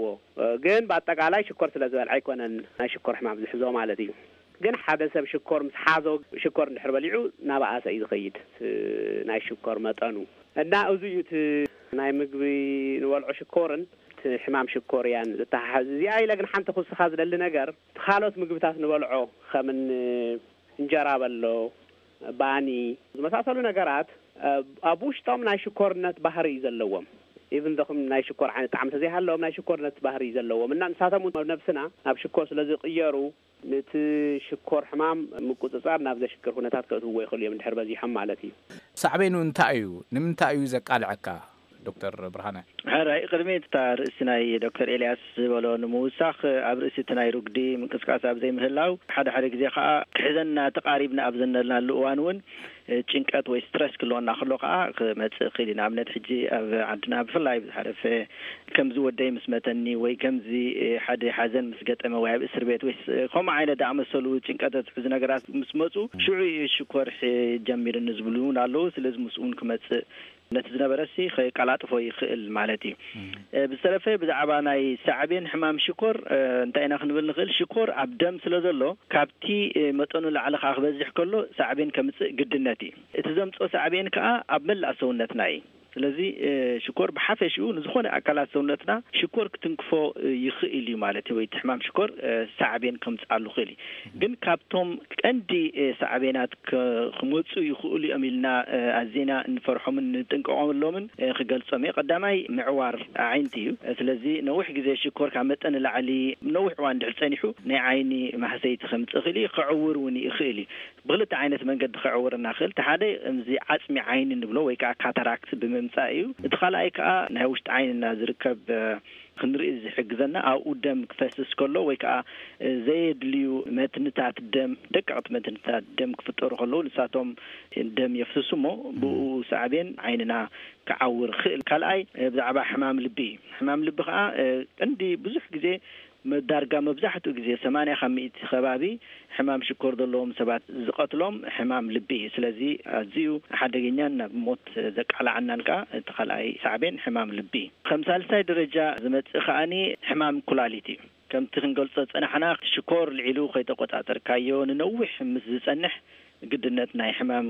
ግን ብኣጠቃላይ ሽኮር ስለ ዝበልዐ ኣይኮነን ናይ ሽኮር ሕማም ዝሕዞ ማለት እዩ። ግን ሓደ ሰብ ሽኮር ምስ ሓዞ፣ ሽኮር እንድሕር በሊዑ ናባኣሰ እዩ ዝኸይድ ናይ ሽኮር መጠኑ። እና እዚ እዩ እቲ ናይ ምግቢ ንበልዖ ሽኮርን እቲ ሕማም ሽኮርያን ዝተሓሓዝ። እዚኣ ኢለ ግን ሓንቲ ክውስኻ ዝደሊ ነገር፣ እቲ ካልኦት ምግብታት ንበልዖ ከምኒ እንጀራ በሎ፣ ባኒ ዝመሳሰሉ ነገራት ኣብ ውሽጦም ናይ ሽኮርነት ባህሪ እዩ ዘለዎም። ኢቭን ዶኹም ናይ ሽኮር ዓይነት ጣዕሚ ተዘይሃለዎም ናይ ሽኮርነት ባህሪ እዩ ዘለዎም። እና ንሳቶም እውን ነብስና ናብ ሽኮር ስለ ዝቕየሩ ነቲ ሽኮር ሕማም ምቁፅፃር ናብ ዘሽግር ኩነታት ከእትውዎ ይኽእሉ እዮም እንድሕር በዚሖም ማለት እዩ። ሳዕቤኑ እንታይ እዩ? ንምንታይ እዩ ዘቃልዐካ? ዶክተር ብርሃነ። ሕራይ ቅድሚ እታ ርእሲ ናይ ዶክተር ኤልያስ ዝበሎ ንምውሳኽ፣ ኣብ ርእሲ እቲ ናይ ርጉዲ ምንቅስቃስ ኣብ ዘይምህላው ሓደ ሓደ ግዜ ከዓ ክሕዘና ተቃሪብና ኣብ ዘነልናሉ እዋን እውን ጭንቀት ወይ ስትረስ ክልወና ከሎ ከዓ ክመፅእ ይኽእል እዩ። ንኣብነት ሕጂ ኣብ ዓድና ብፍላይ ብዝሓለፈ ከምዚ ወደይ ምስ መተኒ ወይ ከምዚ ሓደ ሓዘን ምስ ገጠመ ወይ ኣብ እስር ቤት ወይ ከምኡ ዓይነት ዝኣመሰሉ ጭንቀት ዘትሕዙ ነገራት ምስ መፁ ሽዑ እዩ ሽኮር ጀሚርኒ ዝብሉ እውን ኣለዉ። ስለዚ ምስኡ እውን ክመፅእ ነቲ ዝነበረሲ ከቃላጥፎ ይኽእል ማለት እዩ። ብዝተረፈ ብዛዕባ ናይ ሳዕቤን ሕማም ሽኮር እንታይ ኢና ክንብል ንኽእል? ሽኮር ኣብ ደም ስለ ዘሎ ካብቲ መጠኑ ላዕሊ ከዓ ክበዝሕ ከሎ ሳዕቤን ከምፅእ ግድነት እዩ። እቲ ዘምፅኦ ሳዕቤን ከዓ ኣብ መላእ ሰውነትና እዩ። ስለዚ ሽኮር ብሓፈሽኡ ንዝኾነ ኣካላት ሰውነትና ሽኮር ክትንክፎ ይኽእል እዩ ማለት እዩ። ወይ እቲ ሕማም ሽኮር ሳዕቤን ከምፅኣሉ ይኽእል እዩ። ግን ካብቶም ቀንዲ ሳዕቤናት ክመፁ ይኽእሉ እዮም ኢልና ኣዚና እንፈርሖምን እንጥንቀቐሎምን ክገልፆም እየ። ቀዳማይ ምዕዋር ኣዒንቲ እዩ። ስለዚ ነዊሕ ግዜ ሽኮር ካብ መጠን ንላዕሊ ነዊሕ እዋን ድሕር ፀኒሑ ናይ ዓይኒ ማህሰይቲ ከምፅእ ይኽእል እዩ። ክዕውር እውን ይኽእል እዩ። ብክልተ ዓይነት መንገዲ ክዕውር እናኽእል። እቲ ሓደ እዚ ዓፅሚ ዓይኒ ንብሎ ወይ ከዓ ካታራክት ብምምፃእ እዩ። እቲ ካልኣይ ከዓ ናይ ውሽጢ ዓይንና ዝርከብ ክንርኢ ዝሕግዘና ኣብኡ ደም ክፈስስ ከሎ ወይ ከዓ ዘየድልዩ መትንታት ደም፣ ደቀቕቲ መትንታት ደም ክፍጠሩ ከለዉ ንሳቶም ደም የፍስሱ እሞ ብኡ ሳዕቤን ዓይንና ክዓውር ይኽእል። ካልኣይ ብዛዕባ ሕማም ልቢ እዩ። ሕማም ልቢ ከዓ ቀንዲ ብዙሕ ግዜ መዳርጋ መብዛሕትኡ ግዜ ሰማንያ ካብ ሚእቲ ከባቢ ሕማም ሽኮር ዘለዎም ሰባት ዝቐትሎም ሕማም ልቢ እዩ። ስለዚ ኣዝዩ ሓደገኛን ናብ ሞት ዘቃላዓናን ከዓ እቲ ካልኣይ ሳዕቤን ሕማም ልቢ እዩ። ከም ሳልሳይ ደረጃ ዝመጽእ ከዓኒ ሕማም ኩላሊት እዩ። ከምቲ ክንገልጾ ዝጸናሕና ሽኮር ልዒሉ ከይተቆጻጸርካዮ ንነዊሕ ምስ ዝጸንሕ ግድነት ናይ ሕማም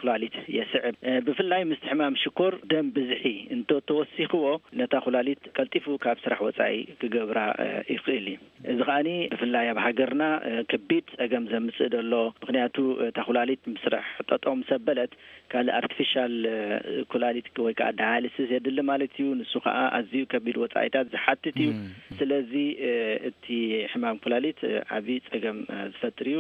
ኩላሊት የስዕብ። ብፍላይ ምስቲ ሕማም ሽኮር ደም ብዝሒ እንተተወሲኽዎ ነታ ኩላሊት ቀልጢፉ ካብ ስራሕ ወፃኢ ክገብራ ይኽእል እዩ። እዚ ከዓኒ ብፍላይ ኣብ ሃገርና ከቢድ ፀገም ዘምፅእ ዘሎ። ምክንያቱ እታ ኩላሊት ምስራሕ ጠጠው ምስ ኣበለት ካልእ ኣርቲፊሻል ኩላሊት ወይ ከዓ ዳያሊሲስ የድሊ ማለት እዩ። ንሱ ከዓ ኣዝዩ ከቢድ ወፃኢታት ዝሓትት እዩ። ስለዚ እቲ ሕማም ኩላሊት ዓብዪ ፀገም ዝፈጥር እዩ።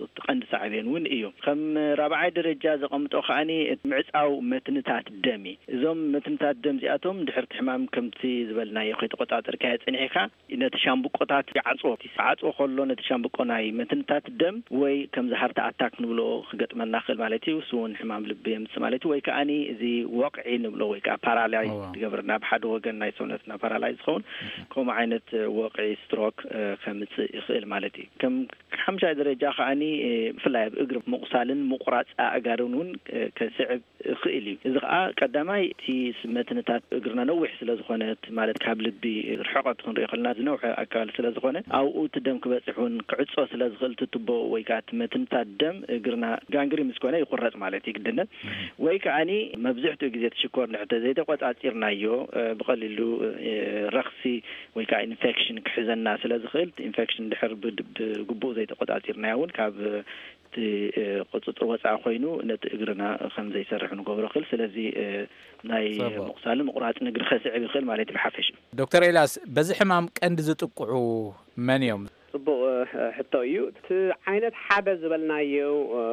እቲ ቀንዲ ሳዕቤን እውን እዩ። ከም ራብዓይ ደረጃ ዘቐምጦ ከዓኒ ምዕፃው መትንታት ደም እዩ። እዞም መትንታት ደም እዚኣቶም ድሕርቲ ሕማም ከምቲ ዝበልናዮ ከይተቆፃፀርካዮ ፀኒሕካ ነቲ ሻምብቆታት ይዓፅዎ። ዓፅዎ ከሎ ነቲ ሻምብቆ ናይ መትንታት ደም ወይ ከምዚ ሃርት ኣታክ ንብሎ ክገጥመና ክእል ማለት እዩ። እሱ እውን ሕማም ልቢ የምፅእ ማለት እዩ። ወይ ከዓኒ እዚ ወቕዒ ንብሎ ወይ ከዓ ፓራላይዝ ዝገብርና ብሓደ ወገን ናይ ሰውነትና ፓራላይዝ ዝኸውን ከምኡ ዓይነት ወቕዒ ስትሮክ ከምፅእ ይኽእል ማለት እዩ። ከም ሓምሻይ ደረጃ ከዓኒ ብፍላይ ኣብ እግሪ ምቑሳልን ምቑራፅ ኣእጋርን እውን ከስዕብ ይኽእል እዩ። እዚ ከዓ ቀዳማይ እቲ መትንታት እግርና ነዊሕ ስለ ዝኾነት ማለት ካብ ልቢ ርሕቐት ክንሪኦ ከለና ዝነውሐ ኣካል ስለ ዝኾነ ኣብኡ እቲ ደም ክበፅሕ እውን ክዕፆ ስለ ዝኽእል እቲ ቱቦ ወይ ከዓ እቲ መትንታት ደም እግርና ጋንግሪን ምስ ኮነ ይቁረፅ ማለት እዩ ግድነት። ወይ ከዓኒ መብዝሕትኡ ግዜ እቲ ሽኮር ንሕተ ዘይተቆፃፂርናዮ ብቐሊሉ ረኽሲ ወይ ከዓ ኢንፌክሽን ክሕዘና ስለ ዝኽእል ኢንፌክሽን ድሕር ብግቡእ ዘይተቆፃፂርናዮ እውን ካብ እቲ ቁፅፅር ወፃኢ ኮይኑ ነቲ እግርና ከም ዘይሰርሕ ንገብሮ ክእል። ስለዚ ናይ ምቁሳልን ምቁራፅን እግሪ ከስዕብ ይኽእል ማለት እዩ ብሓፈሽ። ዶክተር ኤልያስ፣ በዚ ሕማም ቀንዲ ዝጥቅዑ መን እዮም? ፅቡቕ ሕቶ እዩ። እቲ ዓይነት ሓደ ዝበልናዮ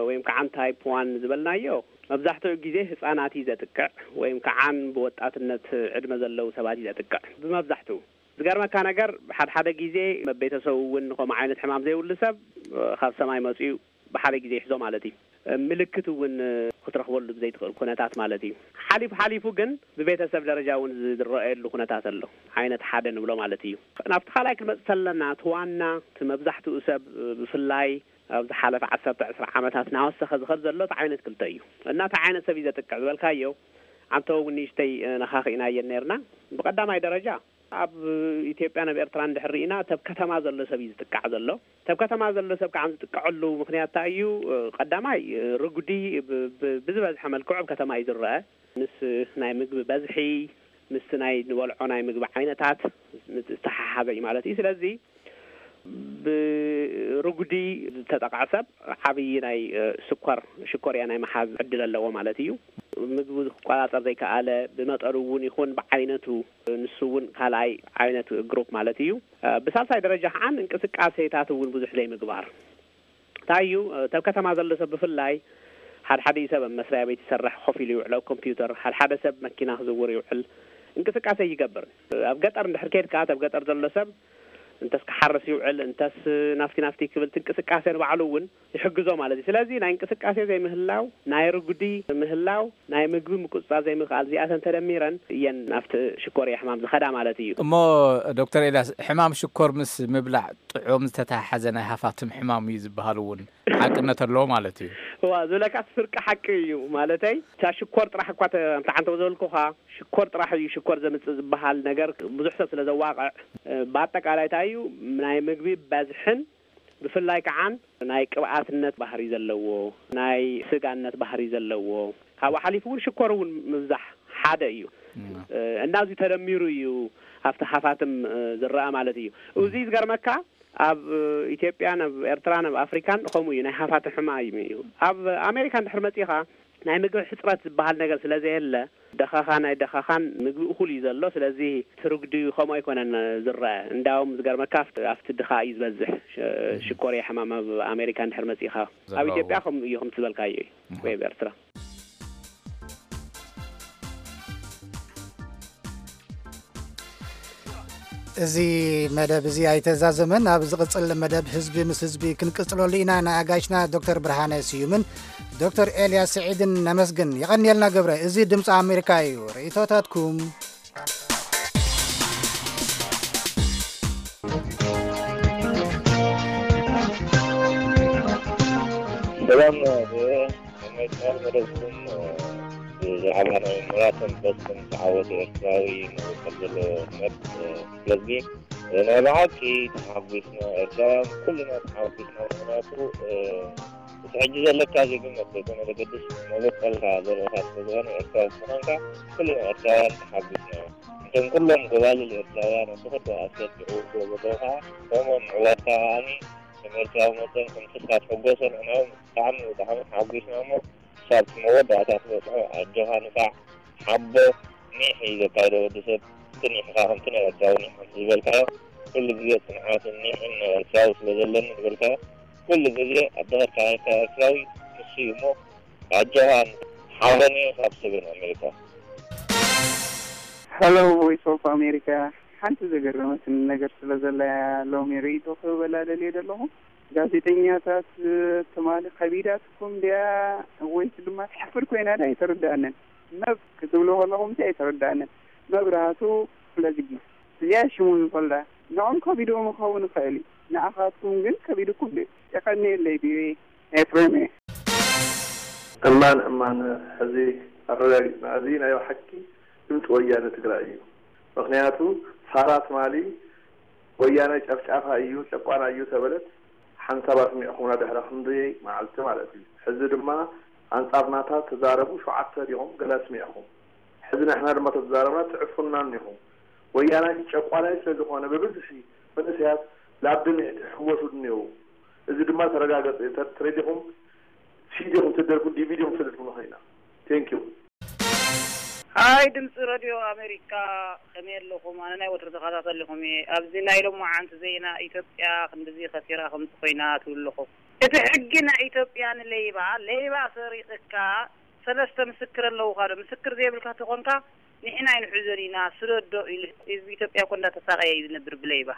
ወይም ከዓ ታይፕ ዋን ዝበልናዮ መብዛሕትኡ ግዜ ህፃናት እዩ ዘጥቅዕ ወይም ከዓን ብወጣትነት ዕድመ ዘለዉ ሰባት እዩ ዘጥቅዕ ብመብዛሕትኡ። ዝገርመካ ነገር ሓድሓደ ግዜ ቤተሰቡ እውን ከምኡ ዓይነት ሕማም ዘይብሉ ሰብ ካብ ሰማይ መፅኡ ብሓደ ግዜ ይሕዞ ማለት እዩ። ምልክት እውን ክትረኽበሉ ብዘይትኽእል ኩነታት ማለት እዩ። ሓሊፉ ሓሊፉ ግን ብቤተሰብ ደረጃ እውን ዝረኣየሉ ኩነታት ኣሎ። ዓይነት ሓደ ንብሎ ማለት እዩ። ናብቲ ካልኣይ ክንመፅእ ተለና እቲ ዋና እቲ መብዛሕትኡ ሰብ ብፍላይ ኣብ ዝሓለፈ ዓሰርተ ዕስራ ዓመታት እናወሰኸ ዝኸድ ዘሎ እቲ ዓይነት ክልተ እዩ። እና እቲ ዓይነት ሰብ እዩ ዘጥቅዕ ዝበልካዮ ኣንተ እውን ንእሽተይ ነኻኺእናየን ነርና። ብቐዳማይ ደረጃ ኣብ ኢትዮጵያ ናብ ኤርትራ እንድሕር ርኢና ተብ ከተማ ዘሎ ሰብ እዩ ዝጥቃዕ ዘሎ። ተብ ከተማ ዘሎ ሰብ ከዓ ዝጥቀዐሉ ምክንያት እንታይ እዩ? ቀዳማይ ርጉዲ ብዝበዝሐ መልክዑ ኣብ ከተማ እዩ ዝረአ። ምስ ናይ ምግቢ በዝሒ ምስቲ ናይ ንበልዖ ናይ ምግቢ ዓይነታት ዝተሓሓዘ እዩ ማለት እዩ። ስለዚ ብርጉዲ ዝተጠቕዐ ሰብ ዓብዪ ናይ ስኳር ሽኮርያ ናይ መሓዝ ዕድል ኣለዎ ማለት እዩ። ምግቢ ክቆፃፀር ዘይከኣለ ብመጠኑ እውን ይኹን ብዓይነቱ ንሱ እውን ካልኣይ ዓይነት ግሩፕ ማለት እዩ። ብሳልሳይ ደረጃ ከዓ እንቅስቃሴታት እውን ብዙሕ ዘይምግባር እንታይ እዩ? ተብ ከተማ ዘሎ ሰብ ብፍላይ ሓድሓደ ሰብ ኣብ መስሪያ ቤት ይሰርሕ ኮፍ ኢሉ ይውዕል ኣብ ኮምፒውተር ሓድሓደ ሰብ መኪና ክዝውር ይውዕል። እንቅስቃሴ ይገብር። ኣብ ገጠር እንድሕር ከድካ ተብ ገጠር ዘሎ ሰብ እንተስ ክሓርስ ይውዕል እንተስ ናፍቲ ናፍቲ ክብል እንቅስቃሴ ንባዕሉ እውን ይሕግዞ ማለት እዩ። ስለዚ ናይ እንቅስቃሴ ዘይምህላው ናይ ርጉዲ ምህላው ናይ ምግቢ ምቁፅፃር ዘይምኽኣል እዚኣተን ተደሚረን እየን ናፍቲ ሽኮር ሕማም ዝኸዳ ማለት እዩ። እሞ ዶክተር ኤልያስ ሕማም ሽኮር ምስ ምብላዕ ጥዑም ዝተተሓሓዘ ናይ ሃፋትም ሕማም እዩ ዝበሃል እውን ሓቅነት ኣለዎ ማለት እዩ። እዋ ዝብለካስ ፍርቂ ሓቂ እዩ። ማለተይ እታ ሽኮር ጥራሕ እኳ ተምታዓንተው ዘበልኩኻ ሽኮር ጥራሕ እዩ ሽኮር ዘምፅእ ዝበሃል ነገር ብዙሕ ሰብ ስለ ዘዋቕዕ ብኣጠቃላይ እንታይ እዩ ናይ ምግቢ በዝሕን ብፍላይ ከዓን ናይ ቅብኣትነት ባህሪ ዘለዎ ናይ ስጋነት ባህሪ ዘለዎ ካብኡ ሓሊፉ እውን ሽኮር እውን ምብዛሕ ሓደ እዩ። እና እዚ ተደሚሩ እዩ ኣብቲ ሃፋትም ዝረኣ ማለት እዩ። እዚ ዝገርመካ ኣብ ኢትዮጵያ፣ ናብ ኤርትራ፣ ናብ ኣፍሪካን ከምኡ እዩ። ናይ ሃፋትም ሕማም እዩ። ኣብ ኣሜሪካ እንድሕር መፂኻ ናይ ምግቢ ሕፅረት ዝበሃል ነገር ስለ ዘየለ፣ ደኻኻ ናይ ደኻኻን ምግቢ እኹል እዩ ዘሎ። ስለዚ ትርጉዲ ከምኡ ኣይኮነን ዝረአ። እንዳውም ዝገርመካ ኣብቲ ድኻ እዩ ዝበዝሕ። ሽኮርያ ሕማም ኣብ ኣሜሪካ እንድሕር መፂኻ፣ ኣብ ኢትዮጵያ ከምኡ እዩ ከም ዝበልካዮ እዩ፣ ወይ ኣብ ኤርትራ። እዚ መደብ እዚ ኣይተዛዘመን። ኣብ ዝቕጽል መደብ ህዝቢ ምስ ህዝቢ ክንቅጽለሉ ኢና። ንኣጋይሽና ዶክተር ብርሃነ ስዩምን ዶክተር ኤልያስ ስዒድን ነመስግን። የቐንየልና ገብረ። እዚ ድምፂ ኣሜሪካ እዩ። ርእይቶታትኩም። ሰላም፣ መድመፅናን መደብኩም ብዛዕባ ናይ ምራትን በስን ተዓወተ ኤርትራዊ ንውከል ዘሎ መት ስለዚ ናይ ብሓቂ ተሓጒስና፣ ኤርትራውያን ኩልና ተሓጒስና። ምክንያቱ እቲ ሕጂ ዘለካ ዜግነት ዘይኮነ ዘገድስ፣ መበቀልካ ዘለካ ስለዝኾነ ኤርትራዊ ምዃንካ ኩልና ኤርትራውያን ተሓጒስና። እቶም ኩሎም ጎባልል ኤርትራውያን ኣብ ተኸዶ ኣስያት ዝዕውቶ ዘለዉ ከዓ ከምኦም ምዕዋትካ ከዓኒ ከም ኤርትራዊ መጠን ከም ስድካ ትሕጎሶ። ንሕና እውን ብጣዕሚ ብጣዕሚ ተሓጒስና እሞ ክሳብ እቲ መወዳእታ ትበፅሖ ኣጆኻ ንፋዕ ሓቦ ኒሕ እዩ ዘካይዶ ወዲ ሰብ። እቲ ኒሕኻ ከምቲ ናይ ኤርትራዊ ኒሕ ከምቲ ዝበልካዮ ኩሉ ግዜ ፅንዓትን ኒሕን ናይ ኤርትራዊ ስለ ዘለኒ ዝበልካዮ ኩሉ ግዜ ኣብ ደኸርካ ኤርትራዊ ንሱ እዩ እሞ ኣጆኻ ሓበን እዩ ካብ ሰሜን ኣሜሪካ። Hello Voice of America ሓንቲ ዘገረመትኒ ነገር ስለ ዘላ እያ ሎሚ ርእይቶ ክህበላ ደልየ ዘለኹ። ጋዜጠኛታት ትማሊ ከቢዳትኩም ድያ ወይስ ድማ ትሕፍር ኮይና ድያ ኣይተረድኣንን። መብ ክትብሉ ከለኹም ሲ ኣይተረድኣንን። መብራህቱ ኩለዝጊ እዚኣ ሽሙ ይፈልጣ። ንዖም ከቢድዎም ክኸውን ይኽእል እዩ። ንኣኻትኩም ግን ከቢድኩም ድዩ? የቐንየለይ ቪኦኤ ኤፍሬም እየ። እማን እማን ሕዚ ኣረጋጊፅና። እዚ ናይ ብሓቂ ድምፂ ወያነ ትግራይ እዩ። ምኽንያቱ ሳራ ትማሊ ወያነ ጨፍጫፋ እዩ ጨቋና እዩ ተበለት ሓንሳብ ኣስሚዕኹምና ድሕሪ ክንደይ መዓልቲ ማለት እዩ። ሕዚ ድማ ኣንፃር ናታ ተዛረቡ ሸውዓተ ዲኹም ገለ ኣስሚዕኹም። ሕዚ ንሕና ድማ ተተዛረብና ትዕፉንና እኒኹም። ወያናይ ጨቋናይ ስለ ዝኾነ ብብዝሒ መንእሰያት ላብ ድምዒ ትሕወሱ እኒው። እዚ ድማ ተረጋገፀ እዩ። ተረዲኹም ሲዲ ኹም ትደርፉ ዲቪዲ ኹም ትደርፉ ንኸይና። Thank you። ሃይ ድምፂ ረድዮ ኣሜሪካ ከመይ ኣለኹም? ኣነ ናይ ወትሩ ተኸታተሊኹም እየ። ኣብዚ ናይ ሎማዓንቲ ዜና ኢትዮጵያ ክንድዚ ከሲራ ከምዚ ኮይና ትብሉ ኣለኹም። እቲ ሕጊ ናይ ኢትዮጵያ ንሌባ ሌባ ሰሪቕካ ሰለስተ ምስክር ኣለውኻ ዶ? ምስክር ዘይብልካ ተኾንካ ንሕና ኣይንሕዞን ኢና ስደዶ ኢሉ ህዝቢ ኢትዮጵያ እኮ እንዳተሳቐየ እዩ ዝነብር ብሌባ።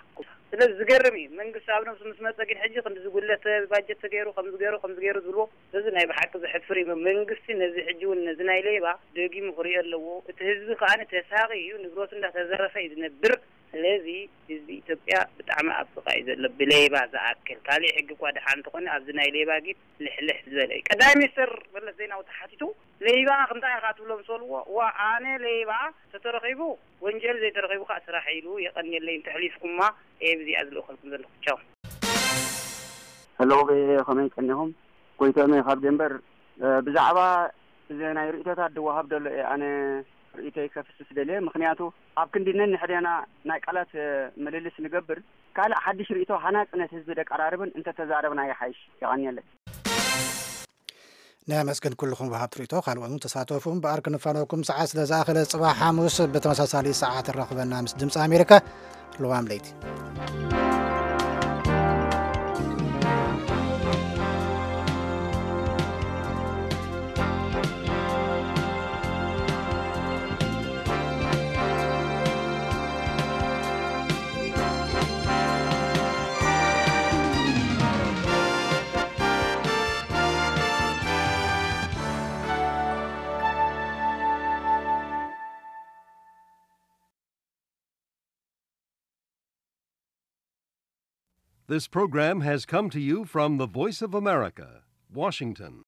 ስለዚ ዝገርም እዩ መንግስቲ ኣብ ነብሱ ምስ መፀ ግን ሕጂ ክንዲ ዝጉለተ ባጀት ተገይሩ ከምዚ ገይሩ ከምዚ ገይሩ ዝብልዎ እዚ ናይ ብሓቂ ዘሕፍር እዩ። መንግስቲ ነዚ ሕጂ እውን ነዚ ናይ ሌባ ደጊሙ ክሪኦ ኣለዎ። እቲ ህዝቢ ከዓ ተሳቒ እዩ ንብረቱ እንዳተዘረፈ እዩ ዝነብር። ስለዚ ህዝቢ ኢትዮጵያ ብጣዕሚ ኣብ ስቓይ ዘሎ ብሌባ ዝኣክል ካሊእ ሕጊ እኳ ድሓ እንተኾነ ኣብዚ ናይ ሌባ ግን ልሕልሕ ዝበለ እዩ። ቀዳማይ ሚኒስትር መለስ ዜናዊ ተሓቲቱ ሌባ ክንታይ ኢኻ ትብሎ ምስ በልዎ ዋ ኣነ ሌባ ተተረኺቡ ወንጀል ዘይተረኺቡ ከዓ ስራሕ ኢሉ የቐንየለይ እንተሕሊፍኩማ እየ ብዚኣ ዝልእኸልኩም ዘለኹ ቻው። Hello ቪኦኤ ከመይ ቀኒኹም? ጎይትኦም እየ ካብ ዴንቨር። ብዛዕባ እዚ ናይ ርእይቶታት ዝወሃብ ዘሎ እየ ኣነ ርእይቶይ ከፍስስ ደልየ። ምኽንያቱ ኣብ ክንዲ ነንሕድና ናይ ቃላት ምልልስ ንገብር፣ ካልእ ሓድሽ ርእይቶ ሃናጺ ነቲ ህዝቢ ደቀራርብን እንተተዛረብና ይሓይሽ። የቐንየለይ። ነመስግን ኩልኹም ወሃብቲ ርእይቶ፣ ካልኦት እውን ተሳተፉ። እምበኣር ክንፋነወኩም ሰዓት ስለ ዝኣኸለ ጽባሕ ሓሙስ ብተመሳሳሊ ሰዓት ንራኸበና ምስ ድምፂ ኣሜሪካ። ልዋም ለይቲ። This program has come to you from the Voice of America, Washington.